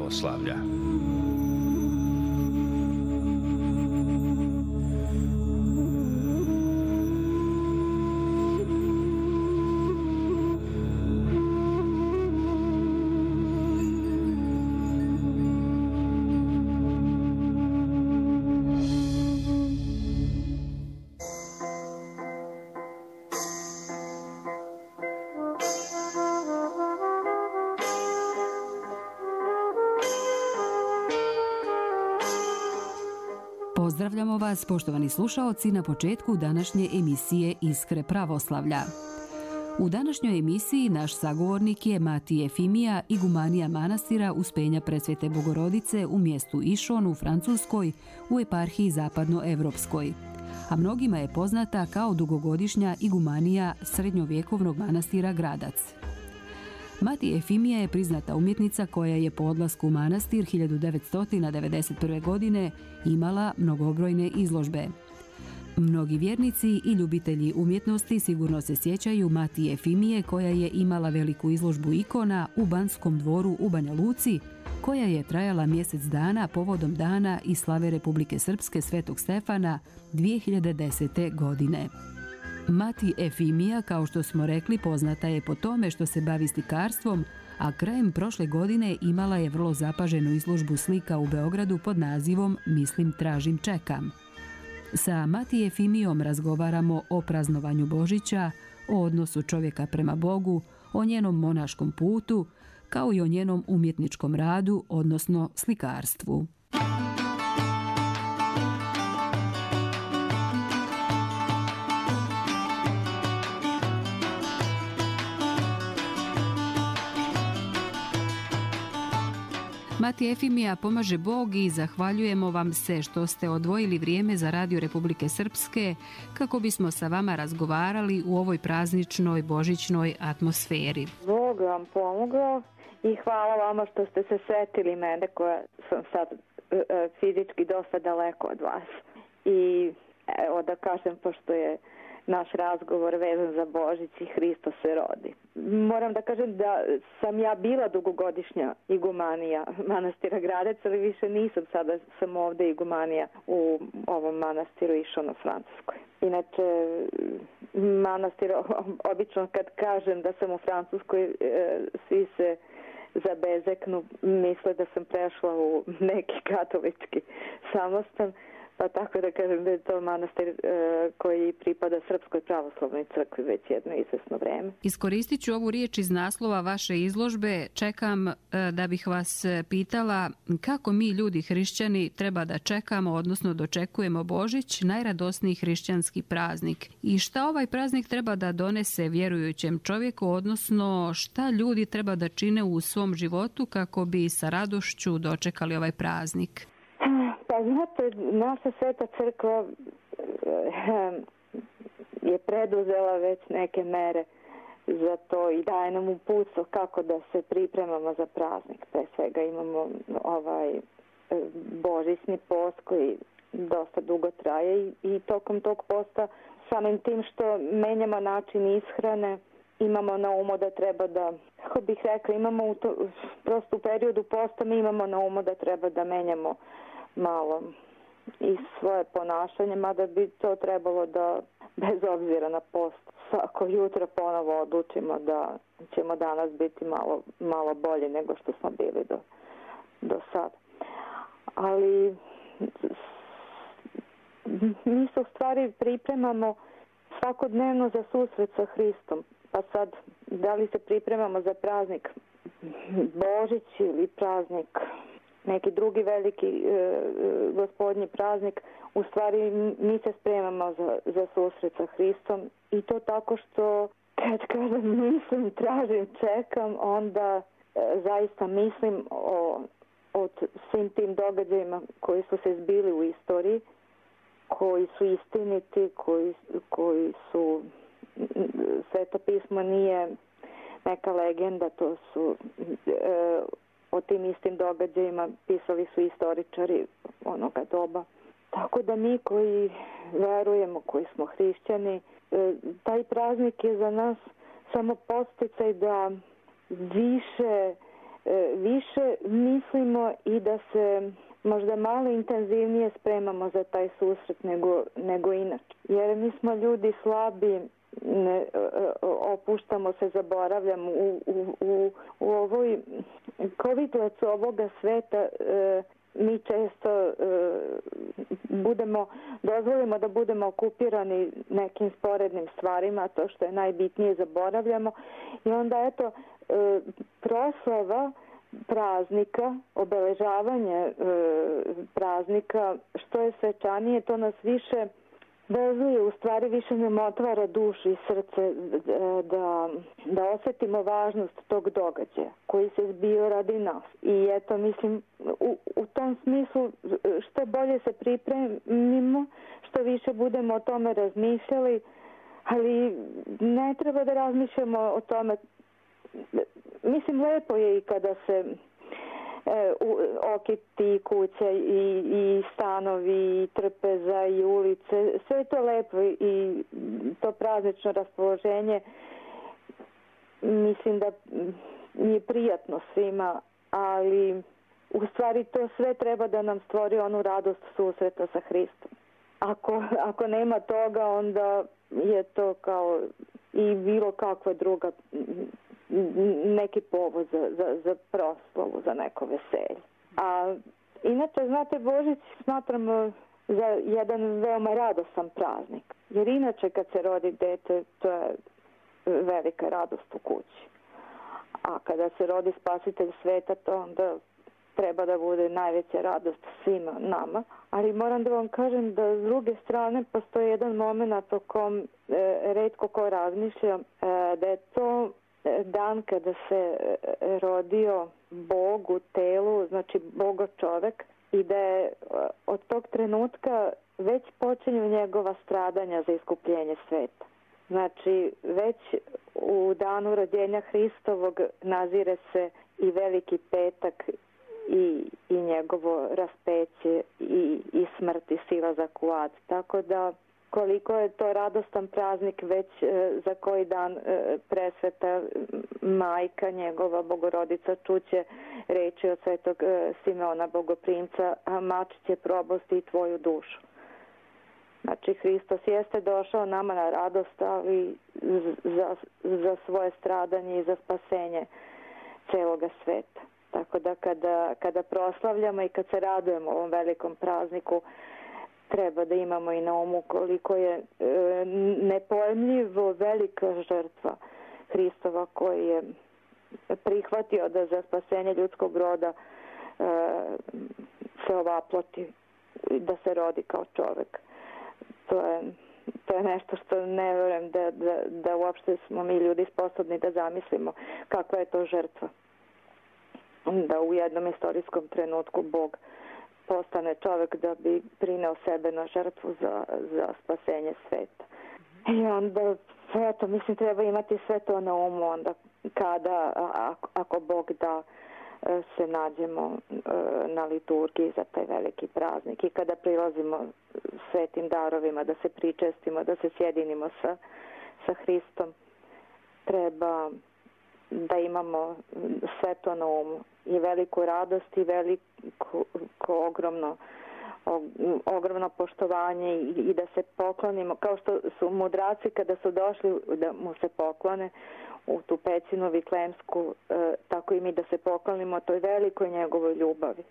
pravoslavlja. Pozdravljamo vas, poštovani slušaoci, na početku današnje emisije Iskre pravoslavlja. U današnjoj emisiji naš sagovornik je Matije Efimija, igumanija manastira Uspenja Presvete Bogorodice u mjestu Išon u Francuskoj u eparhiji Zapadnoevropskoj, a mnogima je poznata kao dugogodišnja igumanija srednjovjekovnog manastira Gradac. Matije Efimija je priznata umjetnica koja je po odlasku u manastir 1991. godine imala mnogobrojne izložbe. Mnogi vjernici i ljubitelji umjetnosti sigurno se sjećaju Matije Efimije koja je imala veliku izložbu ikona u Banskom dvoru u Banja Luci, koja je trajala mjesec dana povodom dana i slave Republike Srpske Svetog Stefana 2010. godine. Mati Efimija, kao što smo rekli, poznata je po tome što se bavi slikarstvom, a krajem prošle godine imala je vrlo zapaženu izložbu slika u Beogradu pod nazivom Mislim, tražim, čekam. Sa Mati Efimijom razgovaramo o praznovanju Božića, o odnosu čovjeka prema Bogu, o njenom monaškom putu, kao i o njenom umjetničkom radu, odnosno slikarstvu. Mati Efimija, pomaže Bog i zahvaljujemo vam se što ste odvojili vrijeme za Radio Republike Srpske kako bismo sa vama razgovarali u ovoj prazničnoj božićnoj atmosferi. Bog vam pomogao i hvala vama što ste se sretili mene koja sam sad fizički dosta daleko od vas. I evo da kažem, pošto je naš razgovor vezan za Božić i Hristos se rodi. Moram da kažem da sam ja bila dugogodišnja igumanija manastira Gradac, ali više nisam, sada sam ovdje igumanija u ovom manastiru Išon u Francuskoj. Inače, manastir, obično kad kažem da sam u Francuskoj, svi se zabezeknu, misle da sam prešla u neki katolički samostan. Pa tako da kažem da je to manastir koji pripada Srpskoj pravoslavnoj crkvi već jedno izvesno vreme. Iskoristit ću ovu riječ iz naslova vaše izložbe. Čekam da bih vas pitala kako mi ljudi hrišćani treba da čekamo, odnosno dočekujemo Božić, najradosniji hrišćanski praznik. I šta ovaj praznik treba da donese vjerujućem čovjeku, odnosno šta ljudi treba da čine u svom životu kako bi sa radošću dočekali ovaj praznik? Pa znate, naša Sveta crkva je preduzela već neke mere za to i daje nam uputstvo kako da se pripremamo za praznik. Pre svega imamo božićni post koji dosta dugo traje i tokom tog posta samim tim što menjamo način ishrane, imamo na umu da treba da, kako bih rekla, imamo prosto u periodu posta mi imamo na umu da treba da menjamo malo i svoje ponašanje, mada bi to trebalo da, bez obzira na post, svako jutro ponovo odlučimo da ćemo danas biti malo bolje nego što smo bili do sad. Ali mi se u stvari pripremamo svakodnevno za susret sa Hristom. Pa sad, da li se pripremamo za praznik Božić ili praznik neki drugi veliki gospodnji praznik, u stvari mi se spremamo za susret sa Hristom i to tako što kad kažem mislim, tražim, čekam, onda zaista mislim o svim tim događajima koji su se zbili u istoriji, koji su istiniti, koji su, Sveto pismo nije neka legenda, to su o tim istim događajima pisali su istoričari onoga doba. Tako da mi koji verujemo, koji smo hrišćani, taj praznik je za nas samo podsticaj da više više mislimo i da se možda malo intenzivnije spremamo za taj susret nego inače. Jer mi smo ljudi slabi, opuštamo se, zaboravljamo u ovoj kovitlacu ovoga sveta. Mi često dozvolimo da budemo okupirani nekim sporednim stvarima, to što je najbitnije zaboravljamo i onda eto proslava praznika, obeležavanje praznika, što je svečanije, to nas više vezuje, u stvari više nam otvara dušu i srce da osjetimo važnost tog događaja koji se zbio radi nas. I eto, mislim, u tom smislu što bolje se pripremimo, što više budemo o tome razmišljali, ali ne treba da razmišljamo o tome. Mislim, lepo je i kada se okiti kuća i stanovi, i trpeza i ulice, sve je to lepo i to praznično raspoloženje mislim da je prijatno svima, ali u stvari to sve treba da nam stvori onu radost susreta sa Hristom. Ako nema toga, onda je to kao i bilo kakva druga neki povod za proslavu, za neko veselje. A inače, znate, Božić smatramo za jedan veoma radosan praznik. Jer inače kad se rodi dete, to je velika radost u kući. A kada se rodi spasitelj sveta, to onda treba da bude najveća radost svima nama. Ali moram da vam kažem da s druge strane postoji jedan moment o kom retko ko razmišlja, da je to dan kada se rodio Bog u telu, znači Bogo čovek, i da je od tog trenutka već počinju njegova stradanja za iskupljenje sveta. Znači, već u danu rođenja Hristovog nazire se i Veliki petak i njegovo raspeće i smrt i silazak u ad. Tako da koliko je to radostan praznik, već za koji dan presveta majka njegova Bogorodica čuće reči od svetog Simeona Bogoprimca, a mač će probosti i tvoju dušu. Znači, Hristos jeste došao nama na radost, ali za svoje stradanje i za spasenje celoga sveta. Tako da kada proslavljamo i kad se radujemo ovom velikom prazniku, treba da imamo i na umu koliko je nepojmljivo velika žrtva Hristova koji je prihvatio da za spasenje ljudskog roda se ovaploti, da se rodi kao čovek. To je nešto što ne vjerujem da uopšte smo mi ljudi sposobni da zamislimo kakva je to žrtva. Da u jednom istorijskom trenutku Bog postane čovek da bi prineo sebe na žrtvu za spasenje sveta. I onda, eto, mislim, treba imati sve to na umu onda kada, ako Bog da, se nađemo na liturgiji za taj veliki praznik i kada prilazimo svetim darovima, da se pričestimo, da se sjedinimo sa Hristom, treba da imamo sve to na umu i veliku radost i veliko ogromno poštovanje i da se poklonimo, kao što su mudraci kada su došli da mu se poklone u tu pećinu viklemsku, tako i mi da se poklonimo toj velikoj njegovoj ljubavi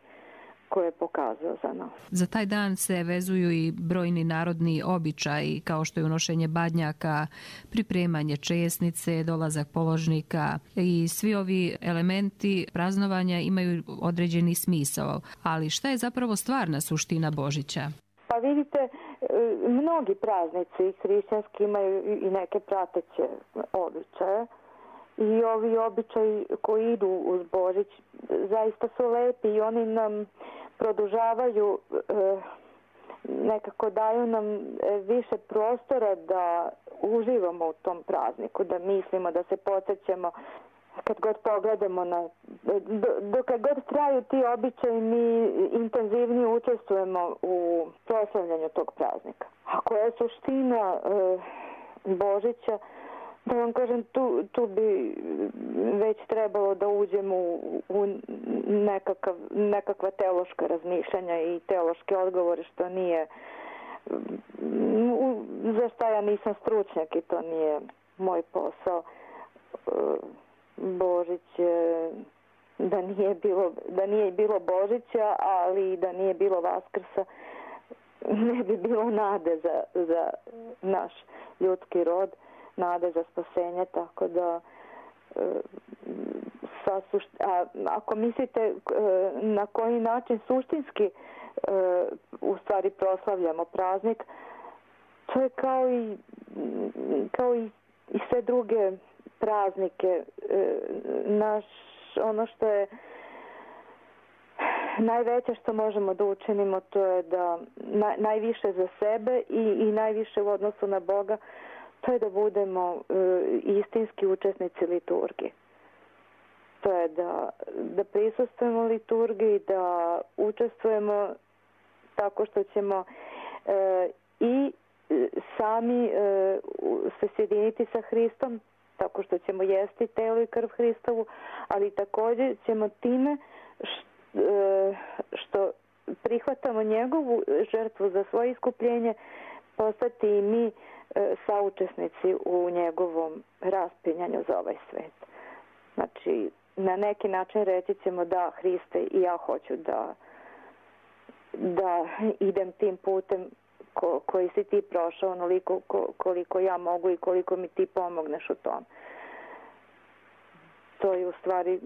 koje je pokazao za nas. Za taj dan se vezuju i brojni narodni običaji, kao što je unošenje badnjaka, pripremanje česnice, dolazak položnika i svi ovi elementi praznovanja imaju određeni smisao. Ali šta je zapravo stvarna suština Božića? Pa vidite, mnogi praznici hrišćanski imaju i neke prateće običaje. I ovi običaji koji idu uz Božić zaista su lepi i oni nam produžavaju, nekako daju nam više prostora da uživamo u tom prazniku, da mislimo, da se podsjećamo kad god pogledamo dok god traju ti običaji, mi intenzivnije učestvujemo u proslavljanju tog praznika. A koja je suština Božića? Da vam kažem, tu bi već trebalo da uđemo u nekakva teološka razmišljanja i teološke odgovore, što nije, za šta ja nisam stručnjak i to nije moj posao. Božić, da nije bilo Božića, ali da nije bilo Vaskrsa, ne bi bilo nade za naš ljudski rod, nade za spasenje, tako da ako mislite na koji način suštinski u stvari proslavljamo praznik, to je kao i sve druge praznike. Ono što je najveće što možemo da učinimo, to je da najviše za sebe i najviše u odnosu na Boga, to je da budemo istinski učesnici liturgije. To je da prisustvujemo liturgiji, da učestvujemo tako što ćemo i sami se sjediniti sa Hristom, tako što ćemo jesti telo i krv Hristovu, ali također ćemo time što prihvatamo njegovu žrtvu za svoje iskupljenje postati i mi saučesnici u njegovom raspinjanju za ovaj svet. Znači, na neki način reći ćemo da, Hriste, i ja hoću da idem tim putem koji si ti prošao, onoliko koliko ja mogu i koliko mi ti pomogneš u tom. To je u stvari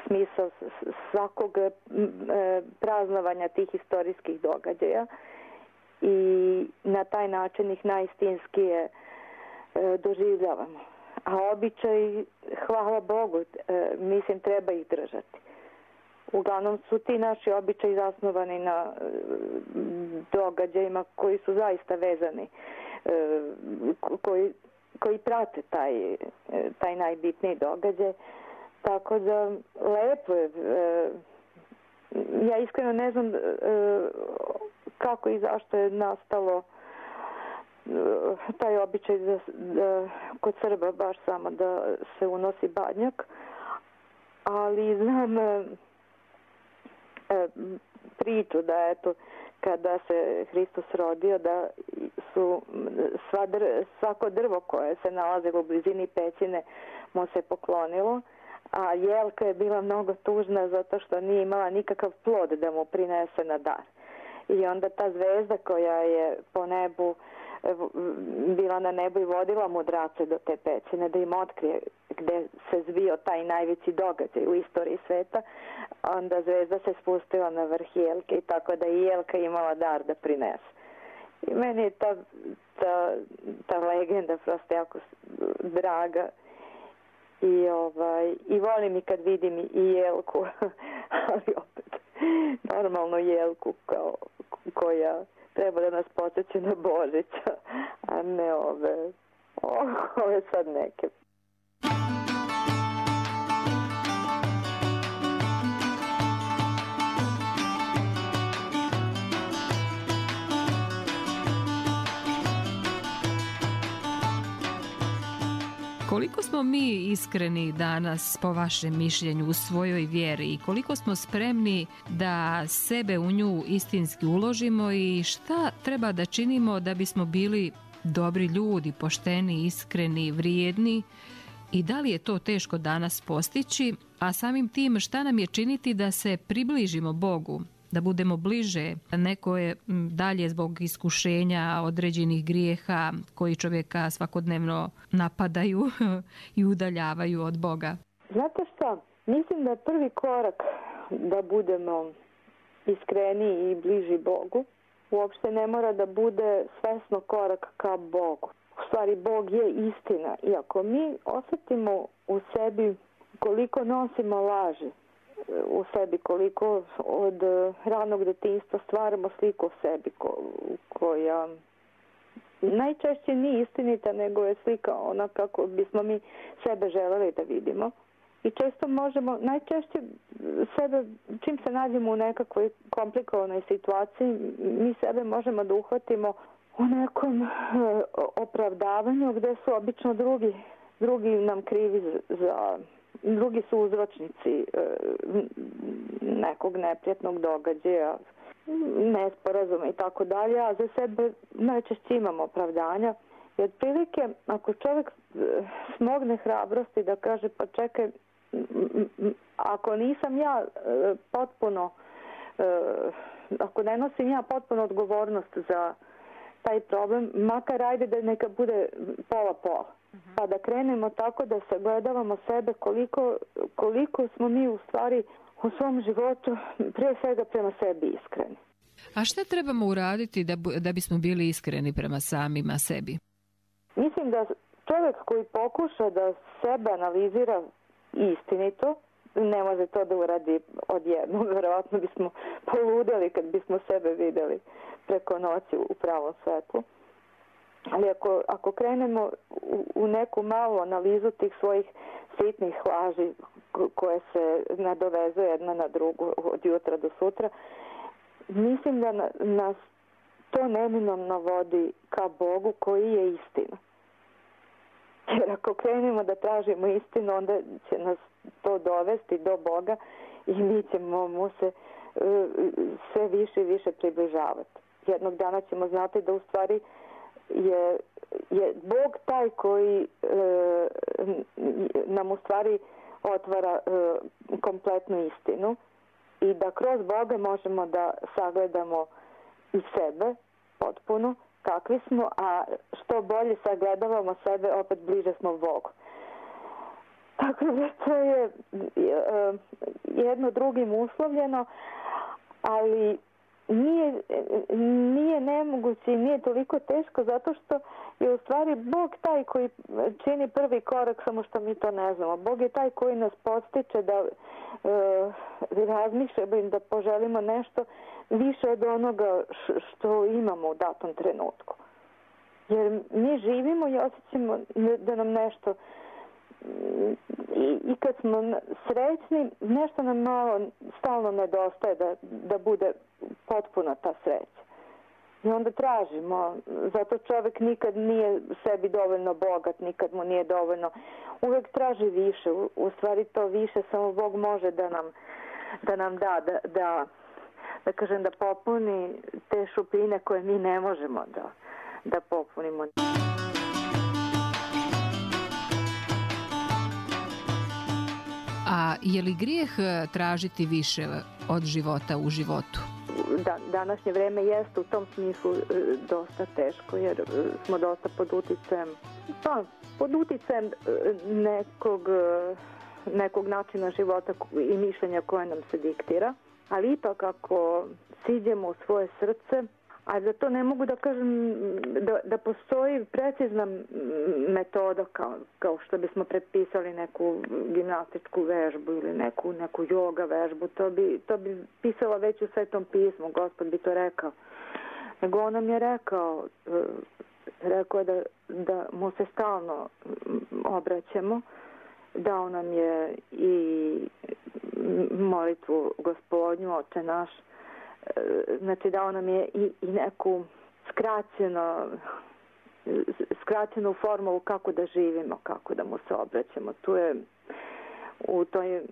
smisao svakog praznovanja tih historijskih događaja i na taj način ih najistinskije doživljavamo. A običaj, hvala Bogu, mislim, treba ih držati. Uglavnom su ti naši običaji zasnovani na događajima koji su zaista vezani, koji prate taj najbitniji događaj. Tako da lepo je. Ja iskreno ne znam kako i zašto je nastalo taj običaj kod Srba baš samo da se unosi badnjak, ali znam priču da eto kada se Hristos rodio da su svako drvo koje se nalazilo u blizini pećine mu se poklonilo, a jelka je bila mnogo tužna zato što nije imala nikakav plod da mu prinese na dar. I onda ta zvezda koja je po nebu bila na nebu i vodila mudrace do te pećine da im otkrije gde se zbio taj najveći događaj u istoriji sveta, onda zvezda se spustila na vrh jelke i tako da i jelka imala dar da prinese. I meni je ta legenda prosto jako draga i volim i kad vidim i jelku, ali opet normalno jelku koja treba da nas podsjeća na Božića, a ne ove sad neke. Koliko smo mi iskreni danas, po vašem mišljenju, u svojoj vjeri i koliko smo spremni da sebe u nju istinski uložimo i šta treba da činimo da bismo bili dobri ljudi, pošteni, iskreni, vrijedni i da li je to teško danas postići, a samim tim šta nam je činiti da se približimo Bogu, da budemo bliže, neko je dalje zbog iskušenja određenih grijeha koji čovjeka svakodnevno napadaju i udaljavaju od Boga. Znate šta? Mislim da je prvi korak da budemo iskreni i bliži Bogu. Uopšte ne mora da bude svesno korak ka Bogu. U stvari, Bog je istina. I ako mi osjetimo u sebi koliko nosimo laži, u sebi, koliko od ranog detinjstva stvaramo sliku o sebi koja najčešće nije istinita, nego je slika ona kako bismo mi sebe želeli da vidimo. I često možemo, najčešće sebe, čim se nađemo u nekakvoj komplikovanoj situaciji, mi sebe možemo da uhvatimo u nekom opravdavanju gdje su obično drugi nam krivi drugi su uzročnici nekog neprijatnog događaja, nesporazuma i tako dalje, a za sebe najčešće imamo opravdanja. I otprilike, ako čovjek smogne hrabrosti da kaže pa čekaj, ako nisam ja potpuno, ako ne nosim ja potpuno odgovornost za taj problem, makar ajde da neka bude pola-pola. Pa da krenemo tako da sagledavamo sebe koliko smo mi u stvari u svom životu prije svega prema sebi iskreni. A šta trebamo uraditi da bismo bili iskreni prema samima sebi? Mislim da čovjek koji pokuša da sebe analizira istinito, ne može to da uradi odjednom. Verovatno bismo poludeli kad bismo sebe videli preko noći u pravom svetlu. Ali ako krenemo u neku malu analizu tih svojih sitnih laži koje se nadovezuje jedna na drugu od jutra do sutra, mislim da nas to neminovno vodi ka Bogu koji je istina. Jer ako krenemo da tražimo istinu, onda će nas to dovesti do Boga i mi ćemo mu se sve više i više približavati. Jednog dana ćemo znati da u stvari je Bog taj koji nam u stvari otvara kompletnu istinu i da kroz Boga možemo da sagledamo i sebe potpuno kakvi smo, a što bolje sagledavamo sebe, opet bliže smo Bogu. Tako da to je jedno drugim uslovljeno, ali nije nemoguće i nije toliko teško zato što je u stvari Bog taj koji čini prvi korak, samo što mi to ne znamo. Bog je taj koji nas podstiče da razmišljamo i da poželimo nešto više od onoga što imamo u datom trenutku. Jer mi živimo i osjećamo da nam nešto i kad smo srećni, nešto nam malo stalno nedostaje da bude potpuna ta sreća. I onda tražimo, zato čovjek nikad nije sebi dovoljno bogat, nikad mu nije dovoljno, uvijek traži više, u stvari to više samo Bog može da nam da kažem, da popuni te šupljine koje mi ne možemo da popunimo. A je li grijeh tražiti više od života u životu? Današnje vreme jeste u tom smislu dosta teško, jer smo dosta pod uticajem nekog načina života i mišljenja koje nam se diktira, ali ipak ako siđemo u svoje srce, a za to ne mogu da kažem da postoji precizna metoda kao što bismo predpisali neku gimnastičku vežbu ili neku joga vežbu, to bi pisalo već u Svetom pismu, Gospod bi to rekao. Nego on nam je rekao je da mu se stalno obraćamo, dao nam je i molitvu Gospodnju, Oče naš, znači dao nam je i neku skraćenu formulu kako da živimo, kako da mu se obraćamo. Tu je u toj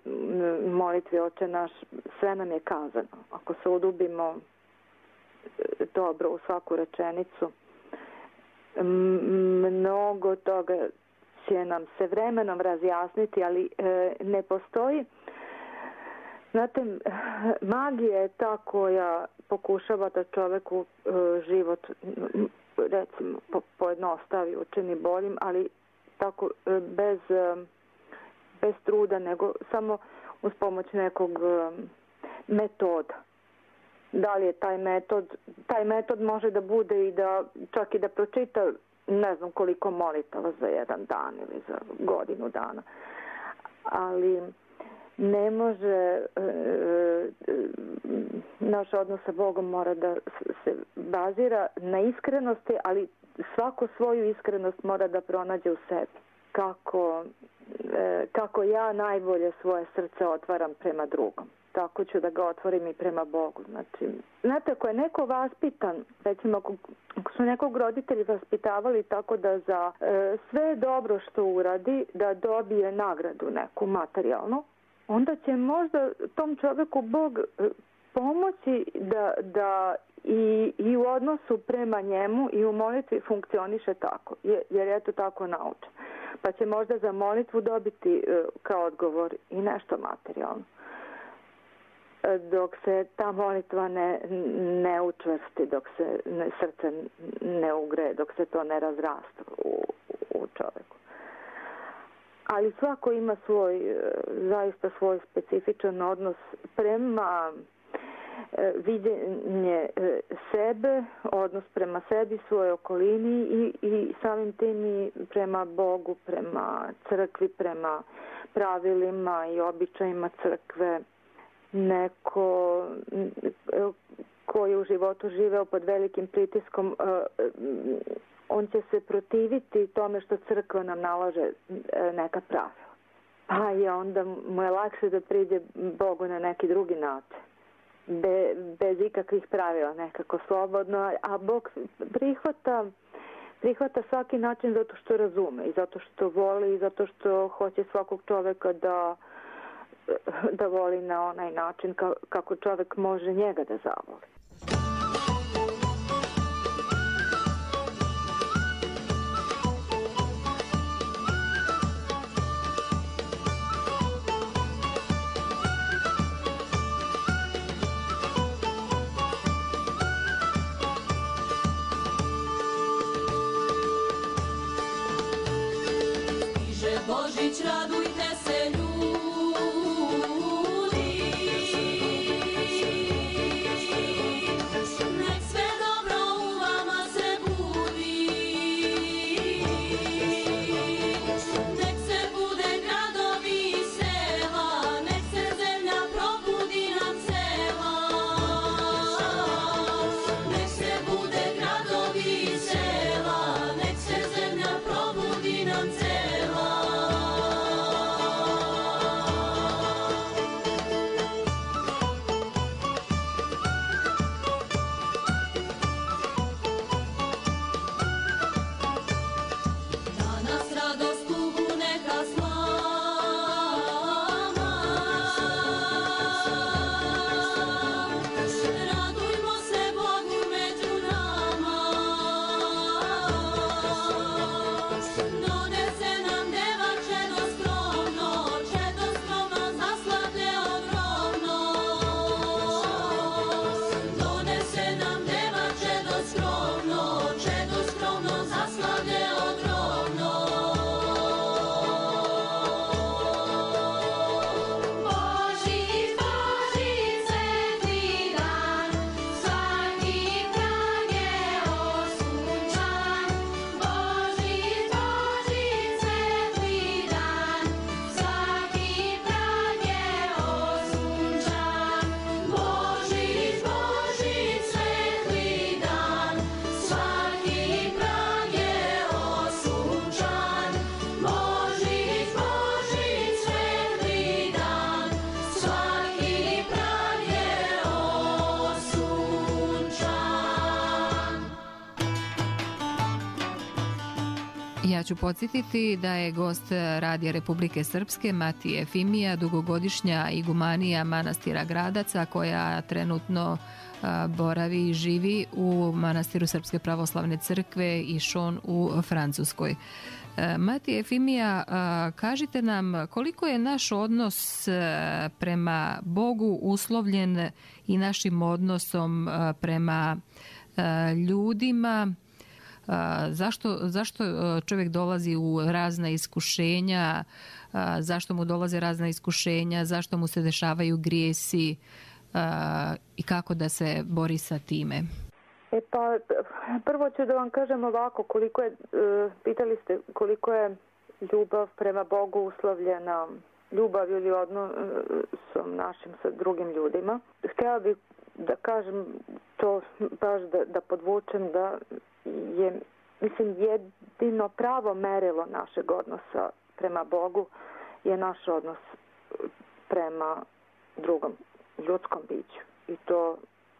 molitvi Oče naš sve nam je kazano. Ako se udubimo dobro u svaku rečenicu, mnogo toga će nam se vremenom razjasniti, ali ne postoji. Znate, magija je ta koja pokušava da čoveku život, recimo, pojednostavi, učini boljim, ali tako bez truda, nego samo uz pomoć nekog metoda. Da li je taj metod može da bude i da čak i da pročita ne znam koliko molitava za jedan dan ili za godinu dana. Ali ne može, naš odnos sa Bogom mora da se bazira na iskrenosti, ali svako svoju iskrenost mora da pronađe u sebi. Kako ja najbolje svoje srce otvaram prema drugom. tako ću da ga otvorim i prema Bogu. Znači, znate, ako je neko vaspitan, recimo ako su nekog roditelji vaspitavali tako da za sve dobro što uradi, da dobije nagradu neku materijalnu, onda će možda tom čovjeku Bog pomoći da i u odnosu prema njemu i u molitvi funkcioniše tako, jer je to tako naučen. Pa će možda za molitvu dobiti kao odgovor i nešto materijalno. Dok se ta molitva ne učvrsti, dok se srce ne ugre, dok se to ne razrasta u čovjeku. Ali svako ima zaista svoj specifičan odnos prema viđenje sebe, odnos prema sebi, svojoj okolini i samim tim i prema Bogu, prema crkvi, prema pravilima i običajima crkve. Neko koji je u životu živeo pod velikim pritiskom, on će se protiviti tome što crkva nam nalaže neka pravila. Pa je onda mu je lakše da priđe Bogu na neki drugi način. Bez ikakvih pravila, nekako slobodno, a Bog prihvata svaki način zato što razume i zato što voli i zato što hoće svakog čoveka da voli na onaj način kako čovek može njega da zavoli. Božić, radujte se ljudi, nek sve dobro u vama se budi, nek se bude gradovi i sela, nek se zemlja probudi nam cela, nek se bude gradovi i sela, nek se zemlja probudi nam cela. Ja ću podsjetiti da je gost Radija Republike Srpske Matija Efimija, dugogodišnja igumanija manastira Gradaca, koja trenutno boravi i živi u manastiru Srpske pravoslavne crkve Išon u Francuskoj. Matija Efimija, kažite nam koliko je naš odnos prema Bogu uslovljen i našim odnosom prema ljudima. Zašto čovjek dolazi u razna iskušenja, zašto mu dolaze razna iskušenja, zašto mu se dešavaju grijesi i kako da se bori sa time? Pa prvo ću da vam kažem ovako, pitali ste koliko je ljubav prema Bogu uslovljena ljubav ili odnosom našim sa drugim ljudima. Htjela bih da kažem to baš da podvučem da je, mislim, jedino pravo merilo našeg odnosa prema Bogu je naš odnos prema drugom ljudskom biću. I to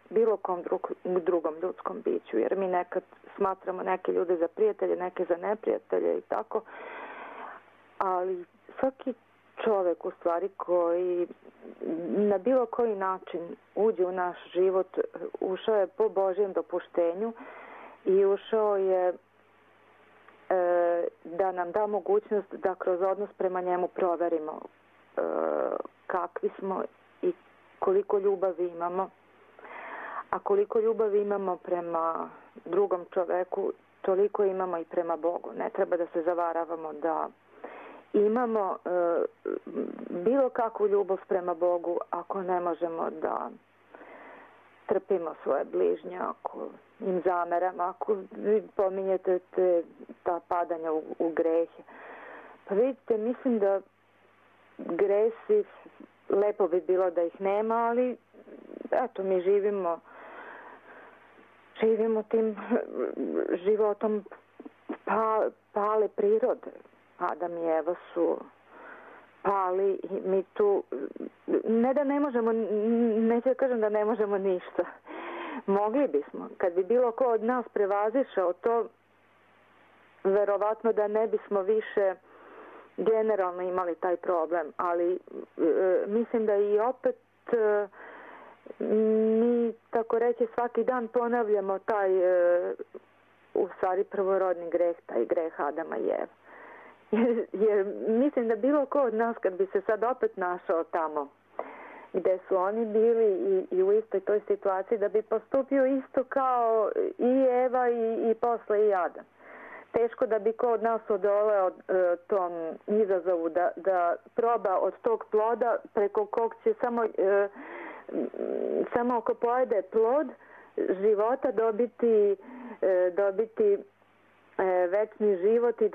bilo kom drugom ljudskom biću. Jer mi nekad smatramo neke ljude za prijatelje, neke za neprijatelje i tako. Ali svaki čovjek u stvari koji na bilo koji način uđe u naš život, ušao je po Božjem dopuštenju i ušao je da nam da mogućnost da kroz odnos prema njemu proverimo kakvi smo i koliko ljubavi imamo. A koliko ljubavi imamo prema drugom čoveku, toliko imamo i prema Bogu. Ne treba da se zavaravamo da imamo bilo kakvu ljubav prema Bogu ako ne možemo da trpimo svoje bližnje, ako im zameramo, ako vi pominjete ta padanja u grehe. Pa vidite, mislim da gresi, lepo bi bilo da ih nema, ali eto, mi živimo tim životom pale prirode. Adam i Eva su pali i mi tu, ne da ne možemo, neću da kažem da ne možemo ništa. Mogli bismo. Kad bi bilo ko od nas prevazišao to, verovatno da ne bismo više generalno imali taj problem. Ali mislim da i opet mi, tako reći, svaki dan ponavljamo taj u stvari prvorodni greh, taj greh Adama i Eve. Jer mislim da bilo ko od nas kad bi se sad opet našao tamo gde su oni bili i u istoj toj situaciji, da bi postupio isto kao i Eva i posle i Adam. Teško da bi ko od nas odoleo tom izazovu da proba od tog ploda preko kog će samo ako pojede plod života dobiti večni život i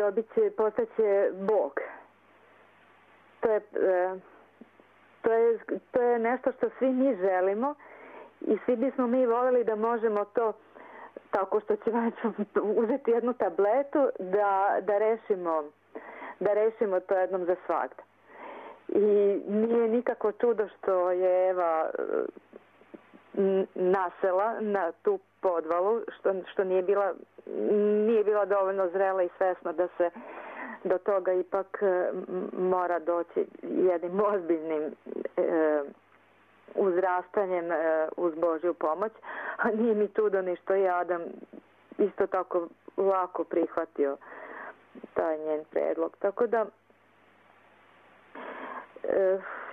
postaće Bog. To je nešto što svi mi želimo i svi bismo mi voljeli da možemo to tako što ćemo uzeti jednu tabletu da rešimo to jednom za svagda. I nije nikako čudo što je Eva nasela na tu podvalu, što nije bila dovoljno zrela i svesna da se do toga ipak mora doći jednim ozbiljnim uzrastanjem uz Božju pomoć, a nije mi čudo ni što je Adam isto tako lako prihvatio taj njen predlog. Tako da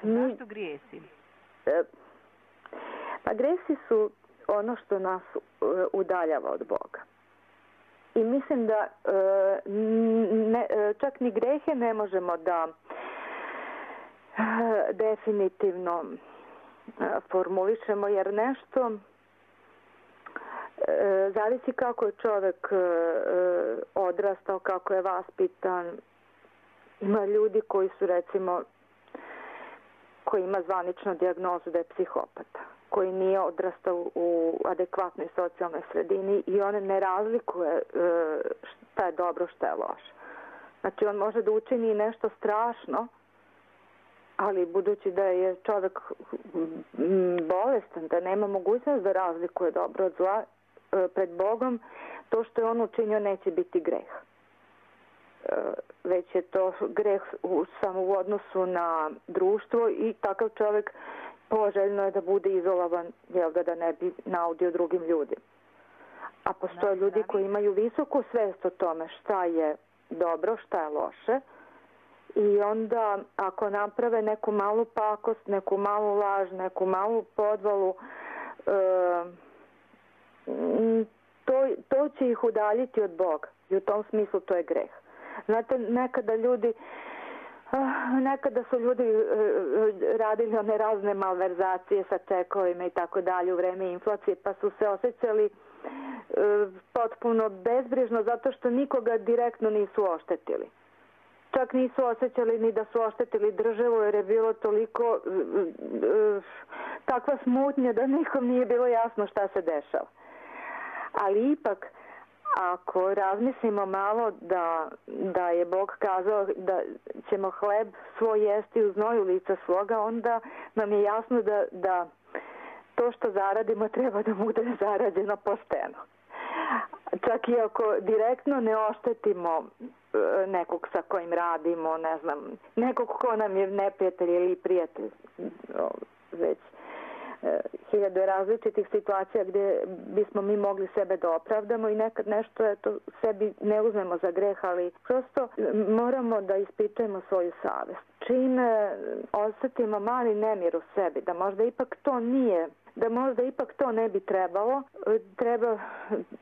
zašto grijesi? Pa gresi su ono što nas udaljava od Boga. I mislim da čak ni grehe ne možemo da definitivno formulišemo, jer nešto zavisi kako je čovjek odrastao, kako je vaspitan. Ima ljudi koji su, recimo, koji ima zvaničnu dijagnozu da je psihopata, koji nije odrastao u adekvatnoj socijalnoj sredini i on ne razlikuje šta je dobro, šta je loše. Znači, on može da učini nešto strašno, ali budući da je čovjek bolestan, da nema mogućnost da razlikuje dobro od zla, pred Bogom, to što je on učinio neće biti greh. Već je to greh samo u odnosu na društvo i takav čovjek poželjno je da bude izolovan, da ne bi naudio drugim ljudima. A postoje ljudi koji imaju visoku svest o tome šta je dobro, šta je loše, i onda ako naprave neku malu pakost, neku malu laž, neku malu podvalu, to će ih udaljiti od Boga i u tom smislu to je greh. Znate, nekada su ljudi radili one razne malverzacije sa čekovima i tako dalje u vreme inflacije, pa su se osjećali potpuno bezbrižno zato što nikoga direktno nisu oštetili. Čak nisu osjećali ni da su oštetili državu, jer je bilo toliko takva smutnja da nikom nije bilo jasno šta se dešava. Ali ipak, ako razmislimo malo da je Bog kazao da ćemo hleb svoj jesti u znoju lica svoga, onda nam je jasno da to što zaradimo treba da bude zarađeno pošteno. Čak i ako direktno ne oštetimo nekog sa kojim radimo, ne znam, nekog ko nam je neprijatelj ili prijatelj, već hiljade različitih situacija gdje bismo mi mogli sebe da opravdamo i nekad nešto sebi ne uzmemo za greh, ali prosto moramo da ispitujemo svoju savest. Čim osjetimo mali nemir u sebi, da možda ipak to ne bi trebalo,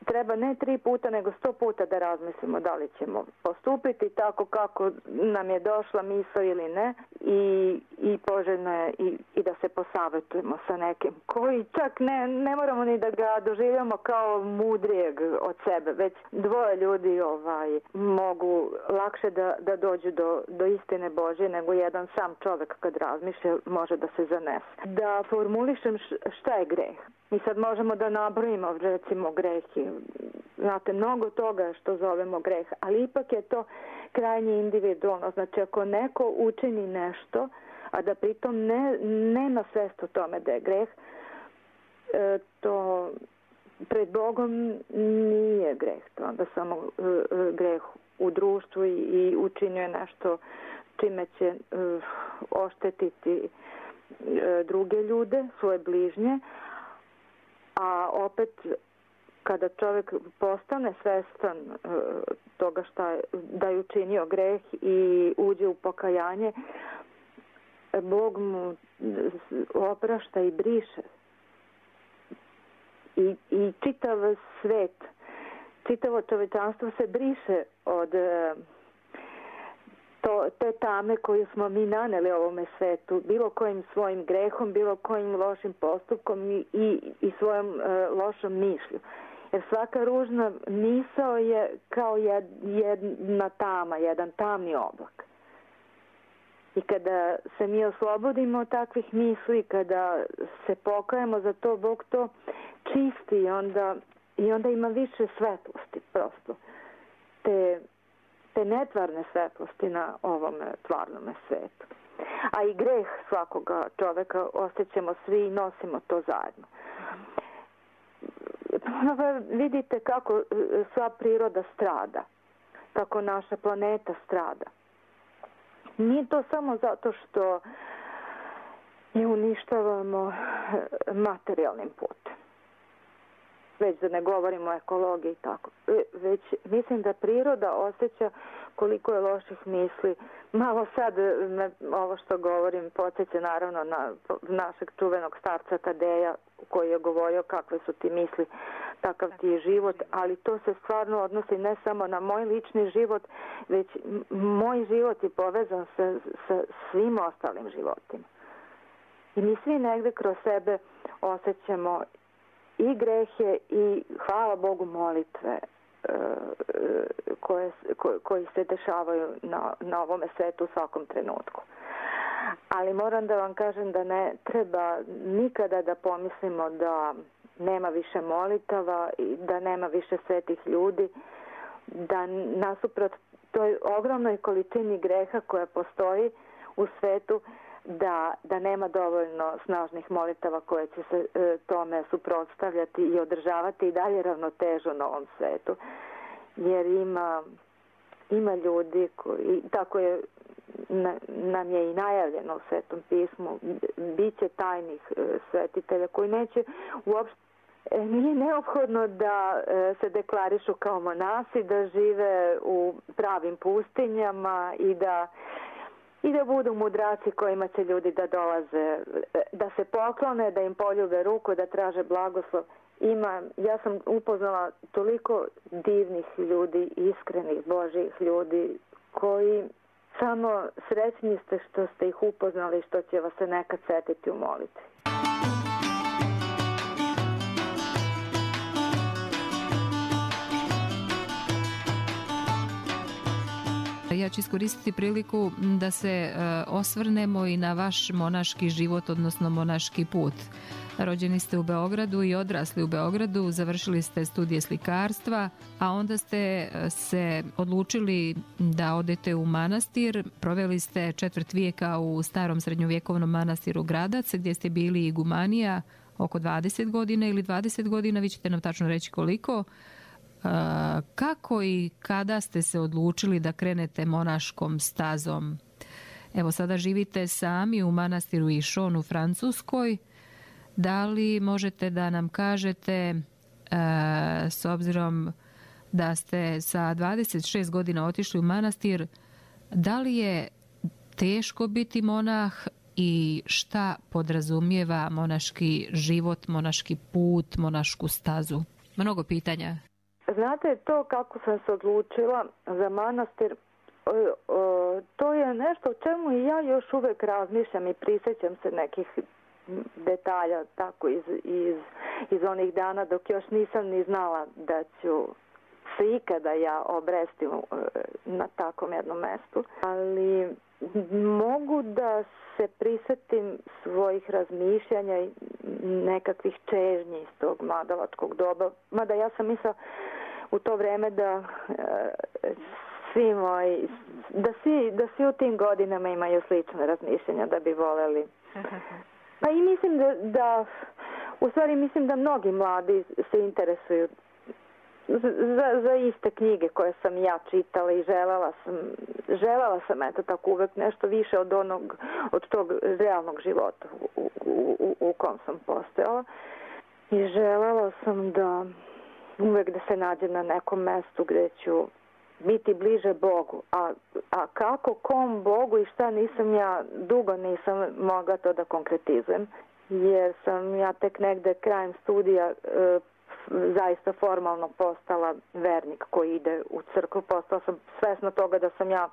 treba ne 3 puta nego 100 puta da razmislimo da li ćemo postupiti tako kako nam je došla misao ili ne i poželjno je i da se posavetujemo sa nekim koji čak ne moramo ni da ga doživljamo kao mudrijeg od sebe, već 2 ljudi mogu lakše da dođu do istine Božje nego jedan sam čovjek kad razmišlja može da se zanese. Da formulišem šta je greh. Mi sad možemo da nabrojimo recimo grehi. Znate, mnogo toga što zovemo greh, ali ipak je to krajnje individualno. Znači, ako neko učini nešto, a da pritom nema svest o tome da je greh, to pred Bogom nije greh. To onda samo greh u društvu i učinjuje nešto čime će oštetiti druge ljude, svoje bližnje, a opet kada čovjek postane svestan toga da je učinio greh i uđe u pokajanje, Bog mu oprašta i briše. I čitav svet, čitavo čovječanstvo se briše od te tame koju smo mi naneli ovome svetu, bilo kojim svojim grehom, bilo kojim lošim postupkom i svojom lošom mišlju. Jer svaka ružna misao je kao jedna tama, jedan tamni oblak. I kada se mi oslobodimo od takvih misli, kada se pokajemo za to, Bog to čisti i onda ima više svetlosti prosto. Te netvarne svetlosti na ovom tvarnom svetu. A i greh svakoga čoveka osjećamo svi i nosimo to zajedno. Vidite kako sva priroda strada, kako naša planeta strada. Nije to samo zato što je uništavamo materijalnim putem. Već da ne govorimo o ekologiji i tako. Već mislim da priroda osjeća koliko je loših misli. Malo sad ovo što govorim podsjeća naravno na našeg čuvenog starca Tadeja koji je govorio kakve su ti misli, takav ti je život, ali to se stvarno odnosi ne samo na moj lični život, već moj život je povezan sa svim ostalim životima. I mi svi negde kroz sebe osjećamo i grehe i hvala Bogu molitve koji se dešavaju na ovome svetu u svakom trenutku. Ali moram da vam kažem da ne treba nikada da pomislimo da nema više molitava i da nema više svetih ljudi, da nasuprot toj ogromnoj količini greha koja postoji u svetu, da nema dovoljno snažnih molitava koje će se tome suprotstavljati i održavati i dalje ravnotežu na ovom svetu. Jer ima ljudi koji, tako je nam je i najavljeno u Svetom pismu, biće tajnih svetitelja koji neće uopšte, nije neophodno da se deklarišu kao monasi, da žive u pravim pustinjama i da budu mudraci kojima će ljudi da dolaze, da se poklone, da im poljube ruku, da traže blagoslov. Ja sam upoznala toliko divnih ljudi, iskrenih Božjih ljudi, koji samo srećni ste što ste ih upoznali i što će vas se nekad setiti u molitvi. Ja ću iskoristiti priliku da se osvrnemo i na vaš monaški život, odnosno monaški put. Rođeni ste u Beogradu i odrasli u Beogradu, završili ste studije slikarstva, a onda ste se odlučili da odete u manastir. Proveli ste četvrt vijeka u starom srednjovjekovnom manastiru Gradac, gdje ste bili igumanija oko 20 godina ili 20 godina, vi ćete nam tačno reći koliko. Kako i kada ste se odlučili da krenete monaškom stazom? Evo, sada živite sami u manastiru Išon u Francuskoj. Da li možete da nam kažete, s obzirom da ste sa 26 godina otišli u manastir, da li je teško biti monah i šta podrazumijeva monaški život, monaški put, monašku stazu? Mnogo pitanja. Znate, to kako sam se odlučila za manastir, to je nešto o čemu i ja još uvijek razmišljam i prisjećam se nekih detalja tako iz onih dana dok još nisam ni znala da ću se ikada ja obresti na takvom jednom mjestu. Ali mogu da se prisjetim svojih razmišljanja i nekakvih čežnji iz tog mladalačkog doba. Mada ja sam mislila u to vrijeme da da svi u tim godinama imaju slične razmišljanja, da bi voljeli. Pa i mislim mislim da mnogi mladi se interesuju za iste knjige koje sam ja čitala i željela sam eto tako uvek nešto više od tog realnog života u kom sam postojala. I željela sam da uvek da se nađem na nekom mjestu gdje ću biti bliže Bogu. A kako, kom Bogu i šta dugo nisam mogla to da konkretizujem. Jer sam ja tek negde krajem studija zaista formalno postala vernik koji ide u crkvu. Postala sam svesna toga da sam ja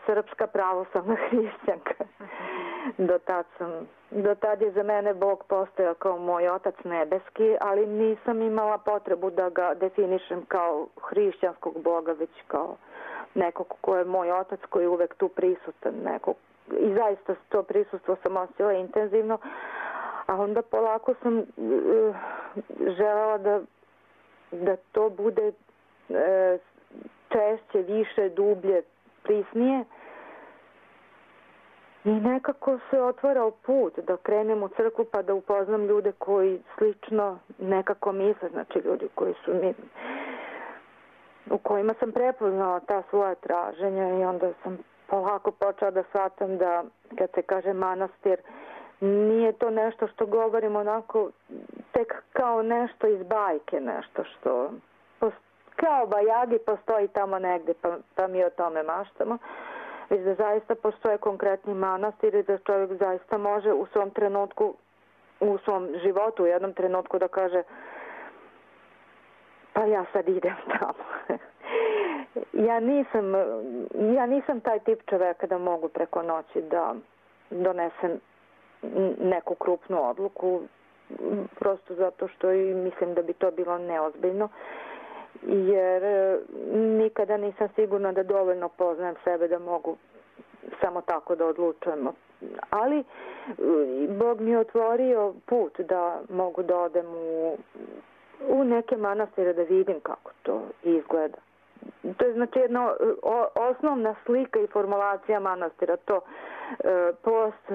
srpska pravoslavna hrišćanka. Do tad je za mene Bog postojao kao moj otac nebeski, ali nisam imala potrebu da ga definišem kao hrišćanskog Boga, već kao nekog ko je moj otac, koji je uvek tu prisutan. I zaista to prisustvo sam osjećala intenzivno, a onda polako sam željela da to bude češće, više, dublje, prisnije. I nekako se otvarao put da krenem u crkvu pa da upoznam ljude koji slično nekako misle, znači ljudi koji su u kojima sam prepoznala ta svoja traženja i onda sam polako počela da shvatam da kad se kaže manastir, nije to nešto što govorim onako tek kao nešto iz bajke, nešto što kao bajagi postoji tamo negdje pa mi o tome maštamo, već da zaista postoje konkretni manastir i da čovjek zaista može u svom trenutku, u svom životu u jednom trenutku da kaže pa ja sad idem tamo. Ja nisam taj tip čovjeka da mogu preko noći da donesem neku krupnu odluku, prosto zato što i mislim da bi to bilo neozbiljno, jer nikada nisam sigurna da dovoljno poznajem sebe da mogu samo tako da odlučujemo. Ali Bog mi je otvorio put da mogu da odem u neke manastire da vidim kako to izgleda. To je znači jedna osnovna slika i formulacija manastira, to post,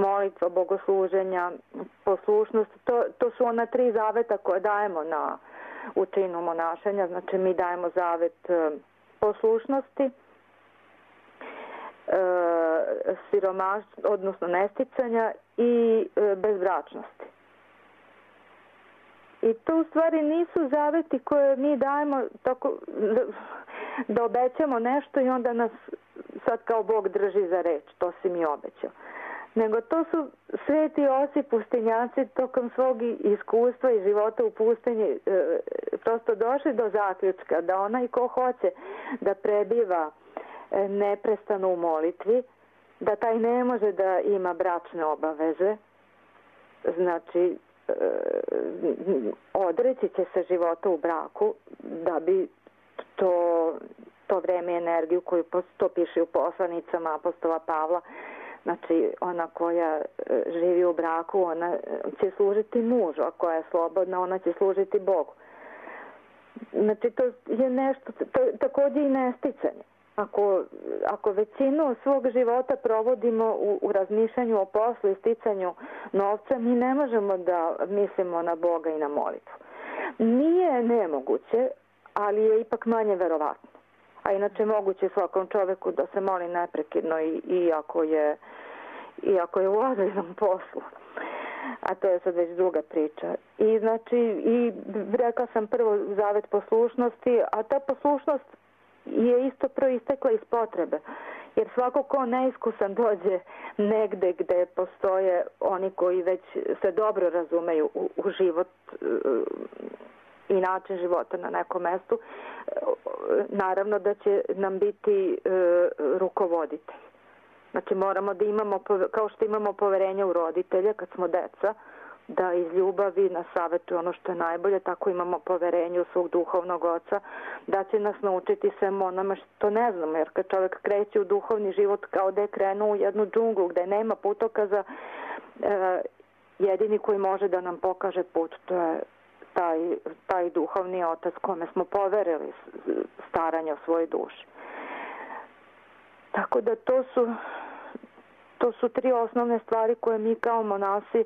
molitva, bogosluženja, poslušnost, to su ona 3 zaveta koje dajemo u činu monašenja. Znači mi dajemo zavet poslušnosti, siromaštva, odnosno nesticanja i bezbračnosti. I to u stvari nisu zaveti koje mi dajemo tako da obećamo nešto i onda nas sad kao Bog drži za reč, to si mi obećao. Nego to su sveti oci pustinjaci tokom svog iskustva i života u pustinji prosto došli do zaključka da onaj ko hoće da prebiva neprestano u molitvi, da taj ne može da ima bračne obaveze, znači odreći će se života u braku da bi to vreme i energiju koju to piše u poslanicama apostola Pavla, Znači, ona koja živi u braku, ona će služiti mužu, a koja je slobodna, ona će služiti Bogu. Znači, to je nešto, također i nesticanje. Ako većinu svog života provodimo u razmišljanju o poslu i sticanju novca, mi ne možemo da mislimo na Boga i na molitvu. Nije nemoguće, ali je ipak manje verovatno. A inače moguće svakom čoveku da se moli neprekidno iako je u ozbiljnom poslu. A to je sad već druga priča. I znači, i rekla sam prvo zavet poslušnosti, a ta poslušnost je isto proistekla iz potrebe. Jer svako ko neiskusan dođe negde gde postoje oni koji već se dobro razumeju u život i način života na nekom mestu, naravno da će nam biti rukovoditelj. Znači moramo da imamo, kao što imamo poverenje u roditelje kad smo deca, da iz ljubavi nas savjetuje ono što je najbolje, tako imamo poverenje u svog duhovnog oca, da će nas naučiti svemu onome što ne znamo, jer kad čovjek kreće u duhovni život kao da je krenuo u jednu džunglu gde nema putokaza, jedini koji može da nam pokaže put, to je taj duhovni otac kome smo poverili staranje o svojoj duši. Tako da to su tri osnovne stvari koje mi kao monasi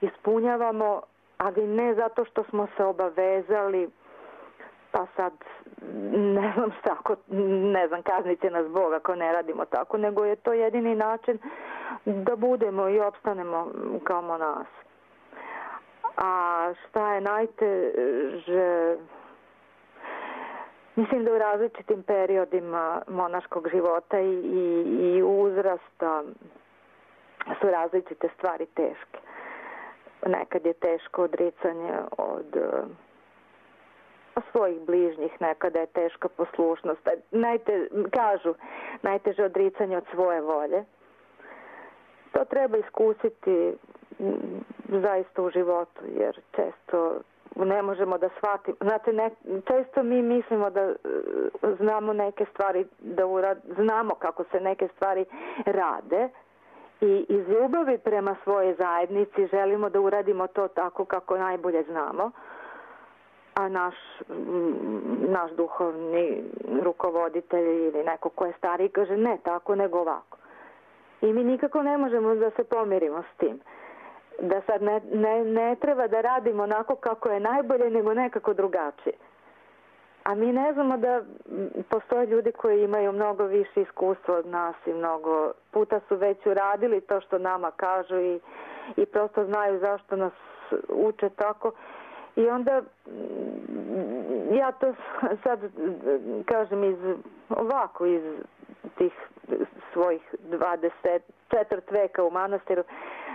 ispunjavamo, ali ne zato što smo se obavezali, pa sad ne znam, kaznit će nas Bog ako ne radimo tako, nego je to jedini način da budemo i opstanemo kao monasi. A šta je najteže? Mislim da u različitim periodima monaškog života i uzrasta su različite stvari teške. Nekad je teško odricanje od svojih bližnjih, nekada je teška poslušnost. Kažu, najteže odricanje od svoje volje. To treba iskusiti zaista u životu, jer često ne možemo da shvatimo. Znate, često mi mislimo da znamo neke stvari, znamo kako se neke stvari rade i iz ljubavi prema svojoj zajednici želimo da uradimo to tako kako najbolje znamo, a naš duhovni rukovoditelj ili neko ko je stariji kaže ne tako nego ovako. I mi nikako ne možemo da se pomirimo s tim. Da sad ne treba da radimo onako kako je najbolje, nego nekako drugačije. A mi ne znamo da postoje ljudi koji imaju mnogo više iskustva od nas i mnogo puta su već uradili to što nama kažu i prosto znaju zašto nas uče tako. I onda ja to sad kažem iz tih svojih 24 veka u manastiru,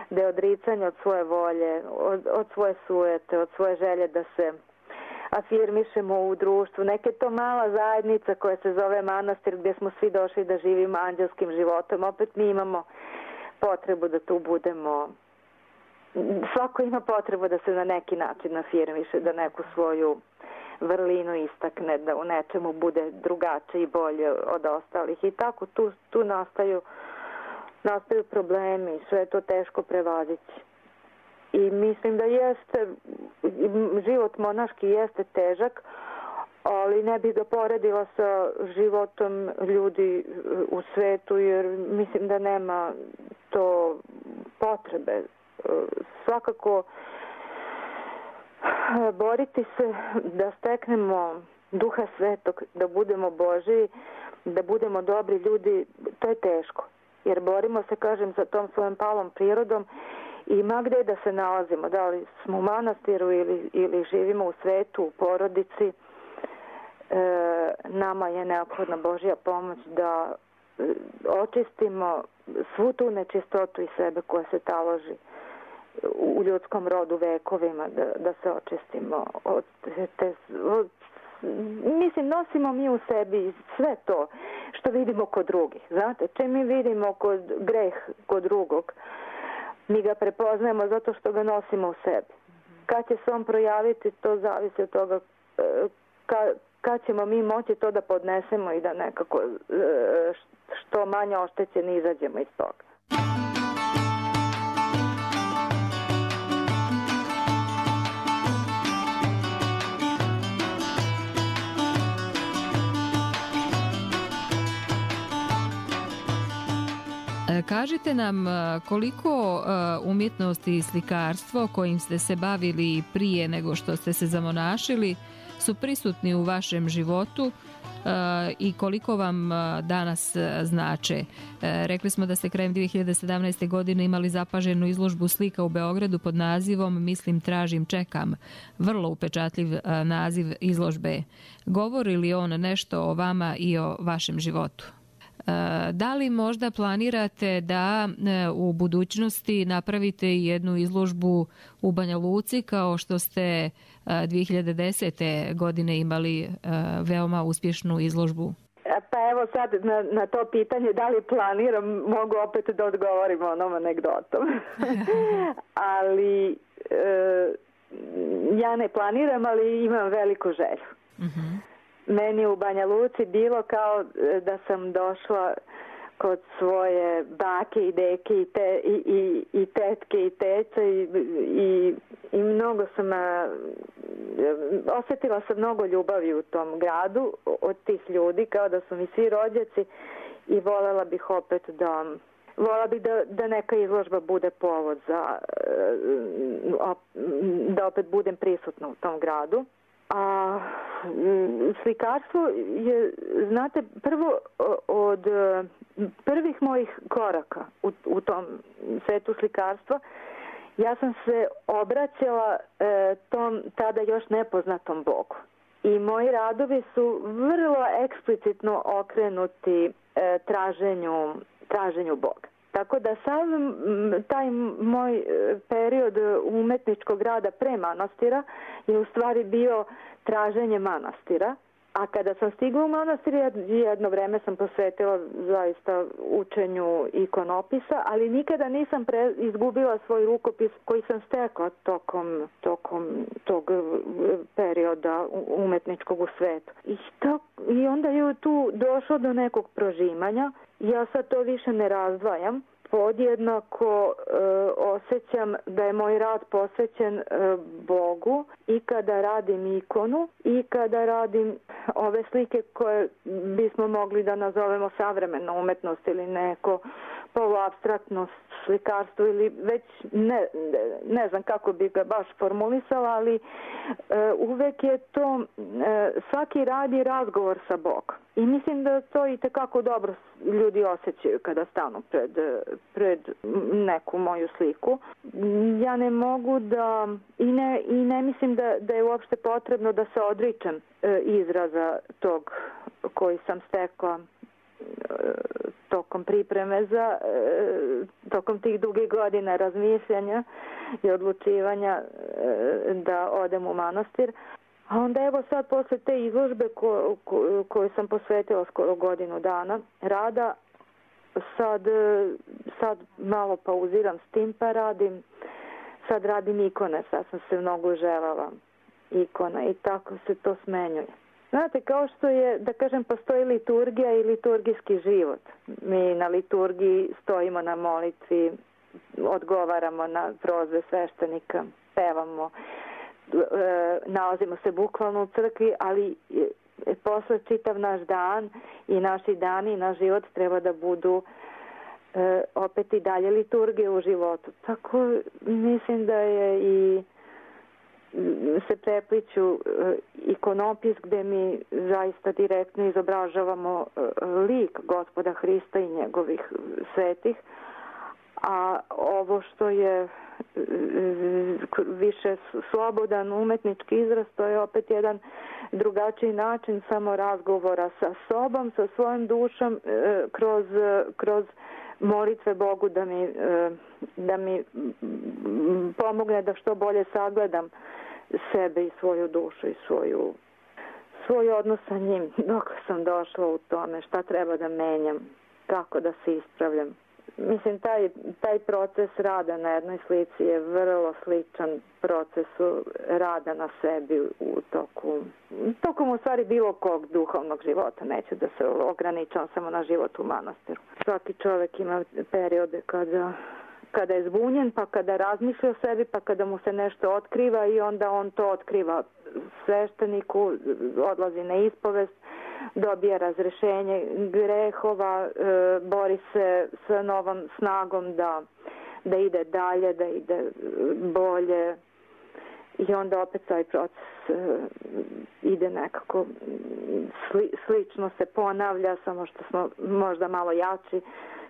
da je odricanje od svoje volje, od svoje sujete, od svoje želje da se afirmišemo u društvu. Neka je to mala zajednica koja se zove manastir gdje smo svi došli da živimo anđelskim životom. Opet mi imamo potrebu da tu budemo. Svako ima potrebu da se na neki način afirmiše, da neku svoju vrlinu istakne, da u nečemu bude drugačije i bolje od ostalih. I tako tu nastaju problemi, sve je to teško prevazići. I mislim da život monaški jeste težak, ali ne bih ga poredila sa životom ljudi u svetu, jer mislim da nema to potrebe. Svakako boriti se da steknemo Duha Svetog, da budemo Božiji, da budemo dobri ljudi, to je teško. Jer borimo se, kažem, sa tom svojom palom prirodom i ma gde da se nalazimo, da li smo u manastiru ili živimo u svetu, u porodici, nama je neophodna Božja pomoć da očistimo svu tu nečistotu iz sebe koja se taloži u ljudskom rodu vekovima, da se očistimo od mislim, nosimo mi u sebi sve to što vidimo kod drugih. Znate, čim mi vidimo greh kod drugog, mi ga prepoznajemo zato što ga nosimo u sebi. Kad će se on projaviti, to zavisi od toga kad ćemo mi moći to da podnesemo i da nekako što manje oštećeni izađemo iz toga. Kažite nam koliko umjetnost i slikarstvo kojim ste se bavili prije nego što ste se zamonašili su prisutni u vašem životu i koliko vam danas znače. Rekli smo da ste krajem 2017. godine imali zapaženu izložbu slika u Beogradu pod nazivom Mislim, tražim, čekam. Vrlo upečatljiv naziv izložbe. Govori li on nešto o vama i o vašem životu? Da li možda planirate da u budućnosti napravite jednu izložbu u Banja Luci kao što ste 2010. godine imali veoma uspješnu izložbu? Pa evo sad na to pitanje da li planiram, mogu opet da odgovorim onom anegdotom. Ali ja ne planiram, ali imam veliku želju. Meni u Banja Luci bilo kao da sam došla kod svoje bake i deke i tetke i tece i mnogo sam osjetila sam mnogo ljubavi u tom gradu od tih ljudi, kao da su mi svi rođaci, i voljela bih opet da neka izložba bude povod da opet budem prisutna u tom gradu. A slikarstvo je, znate, prvo od prvih mojih koraka u tom svetu slikarstva, ja sam se obraćala tom tada još nepoznatom Bogu. I moji radovi su vrlo eksplicitno okrenuti traženju Boga. Tako da sam taj moj period umetničkog rada pre manastira je u stvari bio traženje manastira. A kada sam stigla u manastir, jedno vreme sam posvetila zaista učenju ikonopisa, ali nikada nisam izgubila svoj rukopis koji sam stekla tokom tog perioda umetničkog u svetu. I onda je tu došlo do nekog prožimanja. Ja sad to više ne razdvajam. Podjednako osjećam da je moj rad posvećen Bogu i kada radim ikonu i kada radim ove slike koje bismo mogli da nazovemo savremena umetnost ili neko poluapstraktno slikarstvo ili već ne znam kako bi ga baš formulisala, ali uvek je to, svaki rad je razgovor sa Bogom. I mislim da to i tekako dobro ljudi osjećaju kada stanu pred neku moju sliku. Ja ne mogu da i ne mislim da je uopšte potrebno da se odričem izraza tog koji sam stekla tokom pripreme tokom tih dugih godina razmišljanja i odlučivanja da odem u manastir. A onda evo sad posle te izložbe koju sam posvetila skoro godinu dana rada, sad malo pauziram s tim pa sad radim ikone, sad sam se mnogo željela ikona i tako se to smenjuje. Znate, kao što je, da kažem, postoji liturgija i liturgijski život. Mi na liturgiji stojimo na molitvi, odgovaramo na prozve sveštenika, pevamo, nalazimo se bukvalno u crkvi, ali posle čitav naš dan i naši dani i naš život treba da budu opet i dalje liturgije u životu. Tako mislim da je i se prepliću ikonopis gde mi zaista direktno izobražavamo lik Gospoda Hrista i njegovih svetih, a ovo što je više slobodan umetnički izraz, to je opet jedan drugačiji način samo razgovora sa sobom, sa svojom dušom, kroz molitve Bogu da mi pomogne da što bolje sagledam sebe i svoju dušu i svoj odnos sa njim dok sam došla u tome šta treba da menjam, kako da se ispravljam. Mislim, taj proces rada na jednoj slici je vrlo sličan procesu rada na sebi tokom u stvari bilo kog duhovnog života. Neću da se ograničam samo na život u manastiru. Svaki čovjek ima periode kada je zbunjen, pa kada razmišlja o sebi, pa kada mu se nešto otkriva i onda on to otkriva svešteniku, odlazi na ispovest, dobije razrešenje grehova, bori se sa novom snagom da ide dalje, da ide bolje i onda opet taj proces ide nekako slično se ponavlja, samo što smo možda malo jači,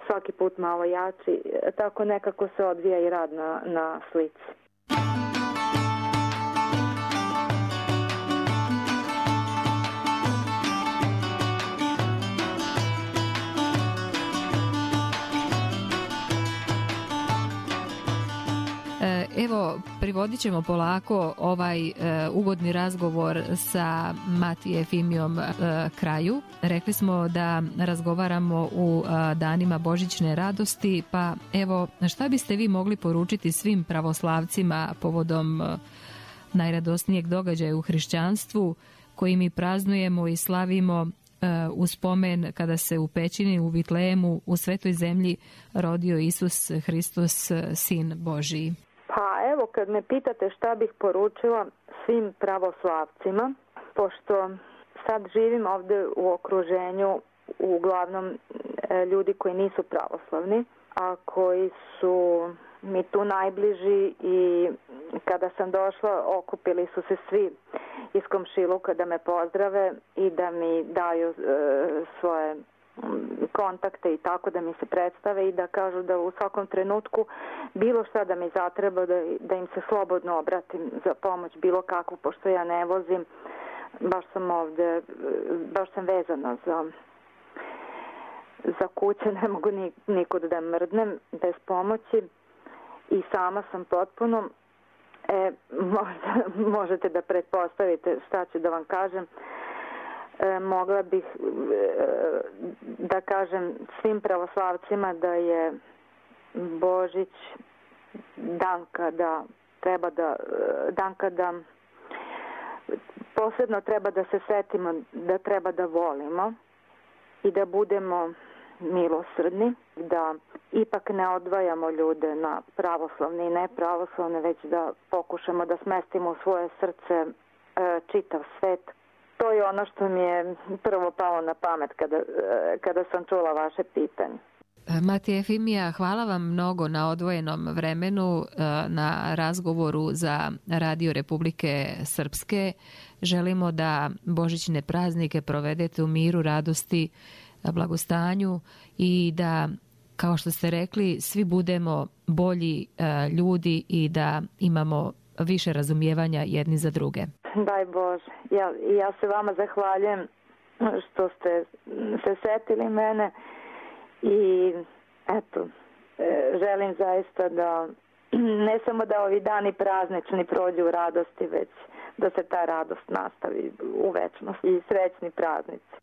svaki put malo jači, tako nekako se odvija i rad na slici. Evo, privodit ćemo polako ovaj ugodni razgovor sa Mati Efimijom kraju. Rekli smo da razgovaramo u danima Božićne radosti, pa evo, šta biste vi mogli poručiti svim pravoslavcima povodom najradosnijeg događaja u hrišćanstvu koji mi praznujemo i slavimo u spomen kada se u pećini u Vitlejemu u Svetoj zemlji rodio Isus Hristos, Sin Božiji? Pa evo, kad me pitate šta bih poručila svim pravoslavcima, pošto sad živim ovdje u okruženju uglavnom ljudi koji nisu pravoslavni, a koji su mi tu najbliži i kada sam došla okupili su se svi iz komšiluka da me pozdrave i da mi daju svoje kontakte i tako da mi se predstave i da kažu da u svakom trenutku bilo šta da mi zatreba da im se slobodno obratim za pomoć bilo kakvu, pošto ja ne vozim, baš sam ovdje, baš sam vezana za kuće, ne mogu nikud da mrdnem bez pomoći i sama sam potpuno. Možete da pretpostavite šta ću da vam kažem. Mogla bih da kažem svim pravoslavcima da je Božić dan kada posebno treba da se setimo da treba da volimo i da budemo milosrdni, da ipak ne odvajamo ljude na pravoslavne i nepravoslavne, već da pokušamo da smestimo u svoje srce čitav svet. To je ono što mi je prvo palo na pamet kada sam čula vaše pitanje. Mati Efimija, hvala vam mnogo na odvojenom vremenu, na razgovoru za Radio Republike Srpske. Želimo da božićne praznike provedete u miru, radosti, blagostanju i da, kao što ste rekli, svi budemo bolji ljudi i da imamo više razumijevanja jedni za druge. Daj Bože. Ja se vama zahvaljujem što ste se setili mene i eto, želim zaista da ne samo da ovi dani praznični prođu u radosti, već da se ta radost nastavi u večnosti i srećni praznici.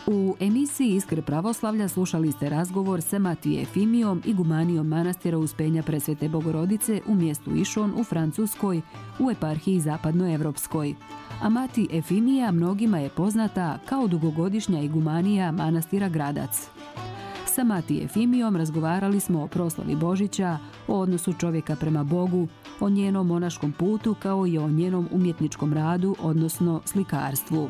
U emisiji Iskre pravoslavlja slušali ste razgovor sa Mati Efimijom, igumanijom manastira Uspenja Presvete Bogorodice u mjestu Išon u Francuskoj, u eparhiji Zapadnoevropskoj. A Mati Efimija mnogima je poznata kao dugogodišnja igumanija manastira Gradac. Sa Mati Efimijom razgovarali smo o proslavi Božića, o odnosu čovjeka prema Bogu, o njenom monaškom putu kao i o njenom umjetničkom radu, odnosno slikarstvu.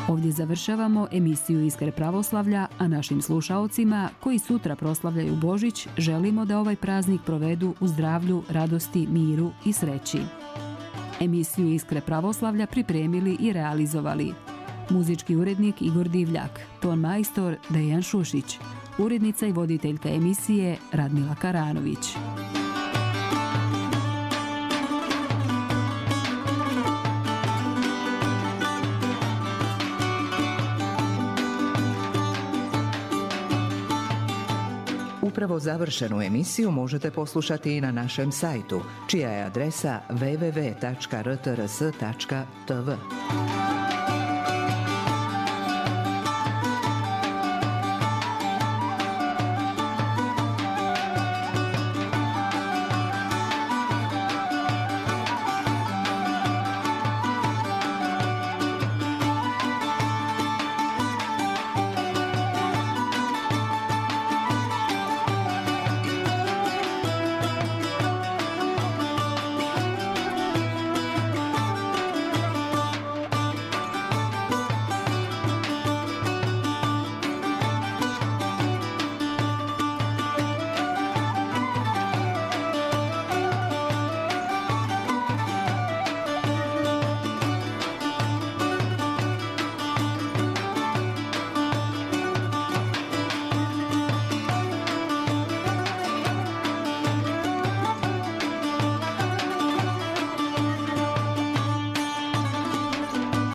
Ovdje završavamo emisiju Iskre pravoslavlja, a našim slušaocima koji sutra proslavljaju Božić želimo da ovaj praznik provedu u zdravlju, radosti, miru i sreći. Emisiju Iskre pravoslavlja pripremili i realizovali muzički urednik Igor Divljak, ton majstor Dejan Šušić, urednica i voditeljka emisije Radmila Karanović. Upravo završenu emisiju možete poslušati i na našem sajtu, čija je adresa www.rtrs.tv.